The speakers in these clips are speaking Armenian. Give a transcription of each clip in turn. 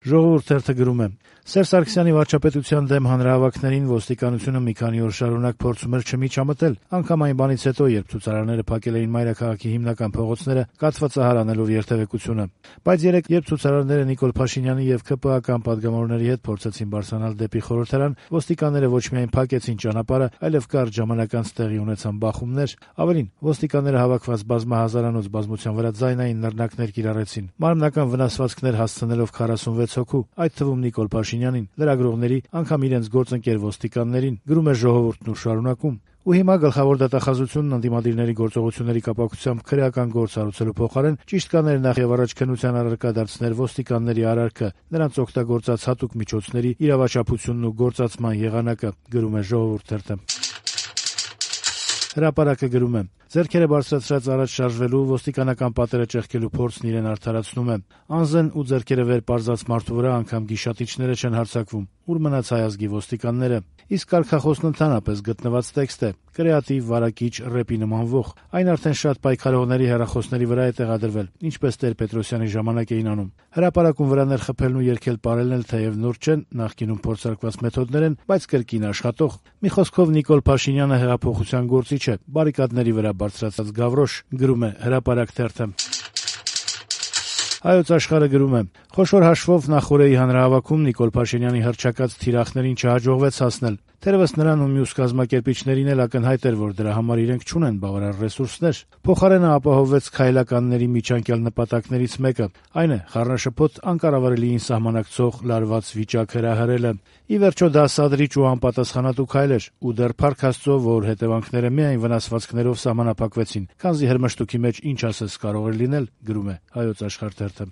Ժողովուրդ թերթը գրում է. Սերժ Սարգսյանի վարչապետության դեմ հանրահավաքներին ոստիկանությունը մի քանի օր շարունակ փորձում էր չմիջամտել, անգամ այն բանից հետո, երբ ցուցարարները փակել էին մայրաքաղաքի հիմնական փողոցները, կաթվածահար անելով երթևեկությունը։ Բայց երեկ, երբ ցուցարարները Նիկոլ Փաշինյանի եւ ԿՊԱ-կան պատգամավորների հետ փորձեցին բարձրանալ դեպի խորհրդարան, ոստիկանները ոչ միայն փակեցին ճանապարհը, այլև կարճ ժամանակ անց տեղի ունեցան բախումներ։ Ավելին, ոստիկանները հավաքված բազմահազարանոց բազմության վրա ձայնային նռնակներ կիրառեցին, մարմնական վնասվածքներ հասցնելով 46 հոգու, այդ թվում Նիկոլ Փաշինյանին, լրագրողների, անգամ իրենց գործընկեր ոստիկաններին, գրում է Ժողովուրդն ու շարունակում։ Ու հիմա գլխավոր դատախազությունն ընդդիմադիրների գործողությունների կապակցությամբ քրեական գործ հարուցելու փոխարեն ճիշտ կաներ նախ եւ առաջ քննության առարկա դարձնել ոստիկանների արարքը, նրանց օգտագործած հատուկ միջոցների իրավաչափությունն ու գործածման եղանակը, գրում է Ժողովուրդ թերթը։ Հրապարակը գրում է. ձեռքերը բարձրացրած առաջ շարժվելու ոստիկանական պատերը ճեղքելու փորձն իրեն արդարացնում է։ Անզեն ու ձեռքերը վեր պարզած մարդու վրա անգամ գիշատիչները չեն հարձակվում։ Ուր մնաց հայ ազգի ոստիկանները։ Իսկ կարգախոսն ընդհանրապես գտնված տեքստ է, կրեատիվ, վարակիչ, ռեպի նմանվող։ Այն արդեն շատ պայքարողների հեռախոսների վրա է տեղադրվել, ինչպես Տեր-Պետրոսյանի ժամանակ էին անում։ Հրապարակում վրա ներխփելն ու երգել պարելն էլ թեև նոր չեն, նախկինում փորձարկված մեթոդներ են, բայց կրկին աշխատող։ Մի խոսքով Նիկոլ Փաշինյանը հեղափոխության գործիչ է, բարիկադների վրա բարձրացած գավրոշ, գրում է Հրապարակ թերթը։ Հայոց Աշխարհը գրում է. խոշոր հաշվով նախօրեի հանրահավաքում Նիկոլ Փաշինյանի հռչակած թիրախներին չհաջողվեց հասնել։ Թերևս նրան ու մյուս կազմակերպիչներին էլ ակնհայտ էր, որ դրա համար իրենք չունեն բավարար ռեսուրսներ։ Փոխարենը ապահովվեց քայլականների միջանկյալ նպատակներից մեկը, այն է խառնաշփոթ անկառավարելիին սահմանակցող լարված վիճակ հրահրելը։ Ի վերջո դա սադրիչ ու անպատասխանատու քայլ էր, ու դեռ փառք Աստծո, որ հետևանքները միայն վնասվածքներով սահմանափակվեցին, քանզի հրմշտուքի մեջ ինչ ասես կարող էր լինել, գրում է Հայոց Աշխարհ թերթը։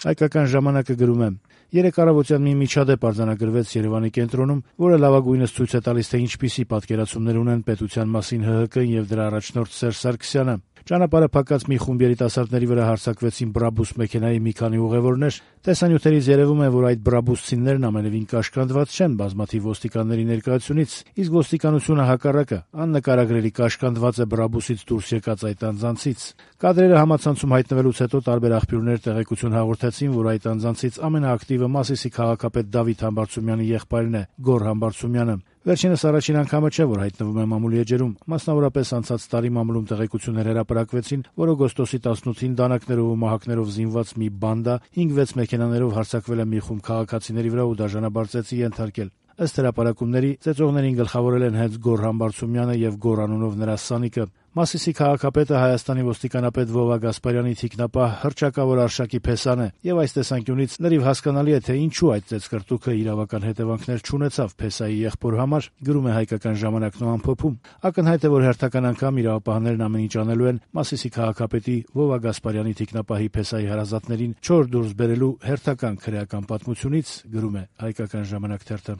Հայկական ժամանակը գրում է. երեկ առավոտյան մի միջադեպ արձանագրվեց Երևանի կենտրոնում, որը լավագույնս ցույց է տալիս, թե ինչպիսի պատկերացումներ ունեն պետության մասին ՀՀԿ-ն եւ դրա առաջնորդ Սերժ Սարգսյանը։ Ճանապարհը փակած մի խումբ երիտասարդների վրա հարձակվեցին Բրաբուս մեքենայի մի քանի ուղևորներ։ Տեսանյութերից երևում է, որ այդ բրաբուսցիներն ամենևին կաշկանդված չեն բազմաթիվ ոստիկանների ներկայությունից, իսկ ոստիկանությունը հակառակը աննկարագրելի կաշկանդված է Բրաբուսից դուրս եկած այդ անձանցից։ Կադրերը համացանցում հայտնվելուց հետո տարբեր աղբյուրներ տեղեկություն հաղորդեցին, որ այդ անձանցից ամենաակտիվը Մասիսի քաղաքապետ Դավիթ Համբարձումյանի եղբայրն է, Գոռ Համբարձումյանը։ Վերջինս առաջին անգամը չէ, որ հայտնվում է մամուլի էջերում։ Մասնավորապես անցած տարի մամուլում տեղեկություններ հրապարակվեցին, որ օգոստոսի 18-ին դանակներով ու մահակներով զինված մի բանդա 5-6 մեքենաներով հարձակվել է մի խումբ քաղաքացիների վրա ու դաժանաբար ծեծի ենթարկել։ Ըստ հրապարակումների, ծեծողներին գլխավորել են հենց Գոռ Համբարձումյանը եւ Գոռ անունով նրա սանիկը։ Մասիսի քաղաքապետը Հայաստանի ոստիկանապետ Վովա Գասպարյանի թիկնապահ հռչակավոր Արշակի Փեսան է, եւ այս տեսանկյունից լրիվ հասկանալի է, թե ինչու այդ ծեծկրտուքը իրավական հետևանքներ չունեցավ Փեսայի եղբոր համար, գրում է Հայկական ժամանակն ու ամփոփում։ Ակնհայտ է, որ հերթական անգամ իրավապահներն ամեն ինչ անելու են Մասիսի քաղաքապետի Վովա Գասպարյանի թիկնապահի Փեսայի հարազատներին չոր դուրս բերելու հերթական քրեական պատմությունից, գրում է Հայկական ժամանակ թերթը։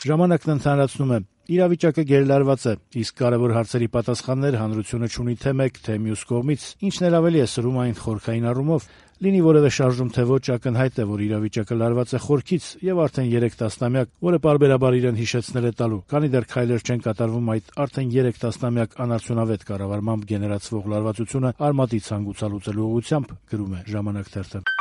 Ժամանակն ընդհանրացնում է. իրավիճակը գերլարված է, իսկ կարևոր հարցերի պատասխաններ հանրությունը չունի թե մեկ, թե մյուս կողմից, ինչն էլ ավելի է սրում այն խորքային առումով։ Լինի որևէ շարժում թե ոչ, ակնհայտ է, որ իրավիճակը լարված է խորքից եւ արդեն 3 տասնամյակ, որը պարբերաբար իրեն հիշեցնել է տալու, քանի դեռ քայլեր չեն կատարվում այդ արդեն 3 տասնամյակ անարդյունավետ կառավարմամբ գեներացվող լարվածությունը արմատի ցանկուցալուծելու ուղղությամբ, գրում է Ժամանակ թերթը։